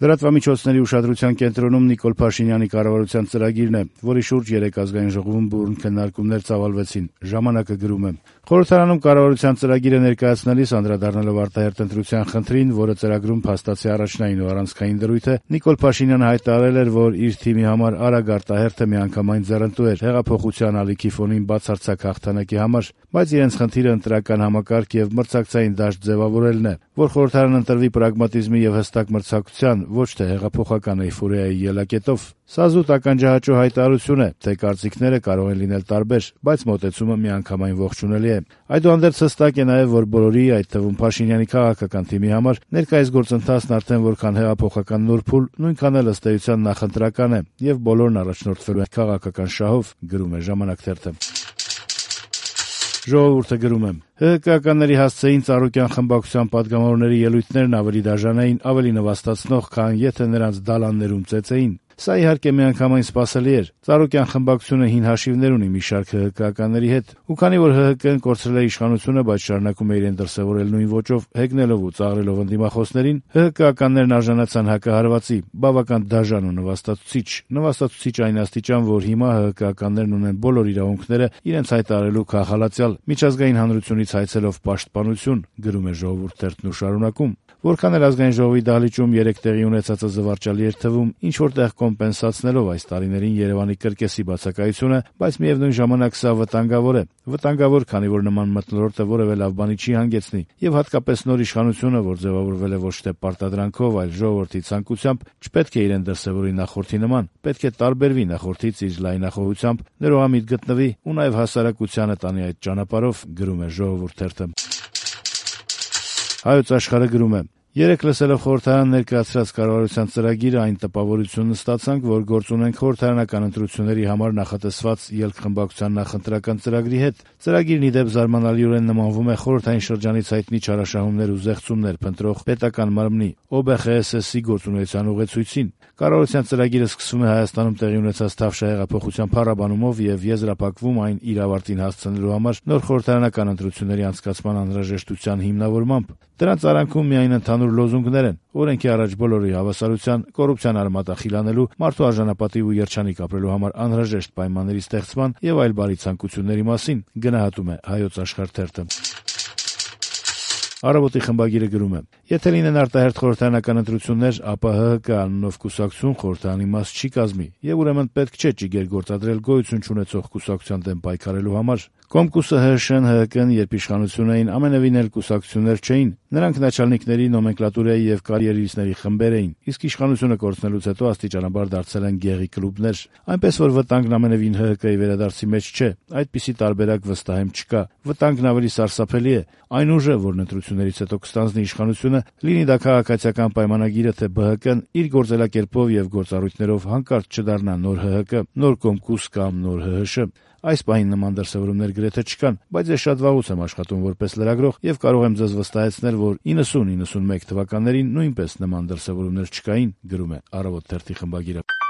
Լրատվամիջոցների ուշադրության կենտրոնում Նիկոլ Փաշինյանի կառավարության ծրագիրն է, որի շուրջ 3 ազգային ժողովում բուռն քննարկումներ ծավալվեցին։ Ժամանակը գրում է. Խորհրդարանում կառավարության ծրագիրը ներկայացնելիս անդրադառնալով արտահերթ ընտրության խնդրին, որը ծրագրում փաստացի առաջնային ու առանցքային դրույթ է, Նիկոլ Փաշինյանը հայտարարել էր, որ իր թիմի համար արագ արտահերթը միանգամայն ձեռնտու էր հեղափոխության ալիքի ֆոնին բացարձակ հաղթանակի համար, բայց իրենց խնդիրը ընտրական համակարգ եւ մրցակցային դաշտ ձևավորելն է, որ խորհրդարանը ընտրվի պրագմատիզմի եւ հստակ մրցակցության, ոչ թե հեղափոխական էյֆորիայի ելակետով։ Սա զուտ ականջահաճո հայտարարություն է, թե կարծիքները կարող են լինել տարբեր, բայց մոտեցումը միանգամայն ողջունելի է։ Այդուհանդերձ հստակ է նաև, որ բոլորի, այդ թվում Փաշինյանի քաղաքական թիմի համար ներկայիս գործընթացն արդեն որքան հեղափոխական նոր փուլ, նույնքան էլ ըստ էության նախընտրական է, եւ բոլորն առաջնորդվելու են քաղաքական շահով, գրում է Ժամանակ թերթը։ Ժողովուրդը գրում է. ՀՀԿ-ականների հասցեին Ծառուկյան խմբակցության պատգամավորների ելույթներն ավելի դաժան էին, ավելի նվաստացնող, քան եթե նրանց դալաններում ծեծեին։ Սա իհարկե միանգամայն սպասելի էր։ Ծառուկյան խմբակցությունը հին հաշիվներ ունի մի շարք ՀՀԿ-ականների հետ, ու քանի որ ՀՀԿ-ն կորցրել է իշխանությունը, բայց շարունակում է իրեն դրսևորել նույն ոճով, հեգնելով ու ծաղրելով ընդդիմախոսներին, ՀՀԿ-ականներն արժանացան հակահարվածի, բավական դաժան ու նվաստացուցիչ այն աստիճան, որ հիմա ՀՀԿ-ականներն ունեն բոլոր իրավունքները իրենց հայտարարելու քաղաքալացյալ, միջազգային հանրությունից հայցելով պաշտպանություն, գրում է Ժողովուրդ թերթն ու շարունակում։ Որքան էլ ազգային ժողովի դահլիճում 3 տեղի ունեցածը զվարճալի էր թվում, ինչ որտեղ կոմպենսացնելով այս տարիներին Երևանի կրկեսի բացակայությունը, բայց միևնույն ժամանակ սա վտանգավոր է։ Վտանգավոր, քանի որ նման մթնոլորտը որևէ լավ բանի չի հանգեցնի, եւ հատկապես նոր իշխանությունը, որ ձևավորվել է ոչ թե պարտադրանքով, այլ ժողովրդի ցանկությամբ, չպետք է իրեն դրսևորի նախորդի նման, պետք է տարբերվի նախորդից իր լայնախոհությամբ, ներողամիտ գտնվի ու նաեւ հասարակությանը տանի այդ ճանապարհով, գրում է Ժողովուրդ թերթը։ Հայոց Աշխարհը գրում է. Երեկ լսելով խորհրդարան ներկայացրած կառավարության ծրագիրը, այն տպավորությունն ստացանք, որ գործ ունենք խորհրդարանական ընտրությունների համար նախատեսված ելքխմբակցության նախընտրական ծրագրի հետ։ Ծրագիրն ի դեպ զարմանալիորեն նմանվում է խորհրդային շրջանից հայտնի չարաշահումներ ու զեղծումներ փնտրող պետական մարմնի ՕԲԽՍՍ-ի գործունեության ուղեցույցին։ Կառավարության ծրագիրը սկսվում է Հայաստանում տեղի ունեցած Թավշյա հեղափոխության փառաբանումով եւ եզրափակվում այն իր ավարտին հասցնելու համար նոր խորհրդարանական ընտրությունների անցկացման անհրաժեշտության հիմնավորմամբ։ Դրանց արանքում միայն ընդհանուր լոզունգներ են՝ օրենքի առաջ բոլորի հավասարության, կոռուպցիան արմատը խիլանելու, մարդու արժանապատիվ ու երջանիկ ապրելու համար անհրաժեշտ պայմանների ստեղծման եւ այլ բարի ցանկությունների մասին, գնահատում է Հայոց Աշխարհ թերթը։ Առավոտի խմբագիրը գրում է. Եթե լինեն արտահերթ խորհրդարանական ընտրություններ, ապա ՀՀԿ անունով կուսակցություն խորհրդարանի մաս չի կազմի, եւ ուրեմն պետք չէ ճիգեր գործադրել գոյություն չունեցող կուսակցության դեմ պայքարելու համար։ Կոմկուսը, ՀՀՇ-ն, ՀՀԿ-ն, երբ իշխանություն էին, ամենևին էլ կուսակցություններ չէին։ Նրանք начальникների, նոմենկլատուրայի եւ կարիերիստների խմբեր էին, իսկ իշխանությունը կորցնելուց հետո աստիճանաբար դարձել են գեղի կլուբներ։ Այնպես որ վտանգն ամենևին ՀՀԿ-ի վերադարձի մեջ չէ, այդպիսի տարբերակ վստահեմ չկա։ Վտանգն ավելի սարսափելի է։ Այն ուժը, որն ընտրություններից հետո կստանձնի իշխանությունը, լինի դա քաղաքացիական պայմանագիրը, թե ԲՀԿ-ն իր գործելակերպով եւ գործառույթներով հանկարծ չդառնա նոր ՀՀԿ, նոր Կոմկուս կամ նոր ՀՀՇ։ Այս պահին նման դրսևորումներ գրեթե չկան, բայց ես շատ վաղուց եմ աշխատում որպես լրագրող եւ կարող եմ ձեզ վստահեցնել, որ 90-91 թվականներին նույնպես նման դրսևորումներ չկային, գրում է Առավոտ թերթի խմբագիրը։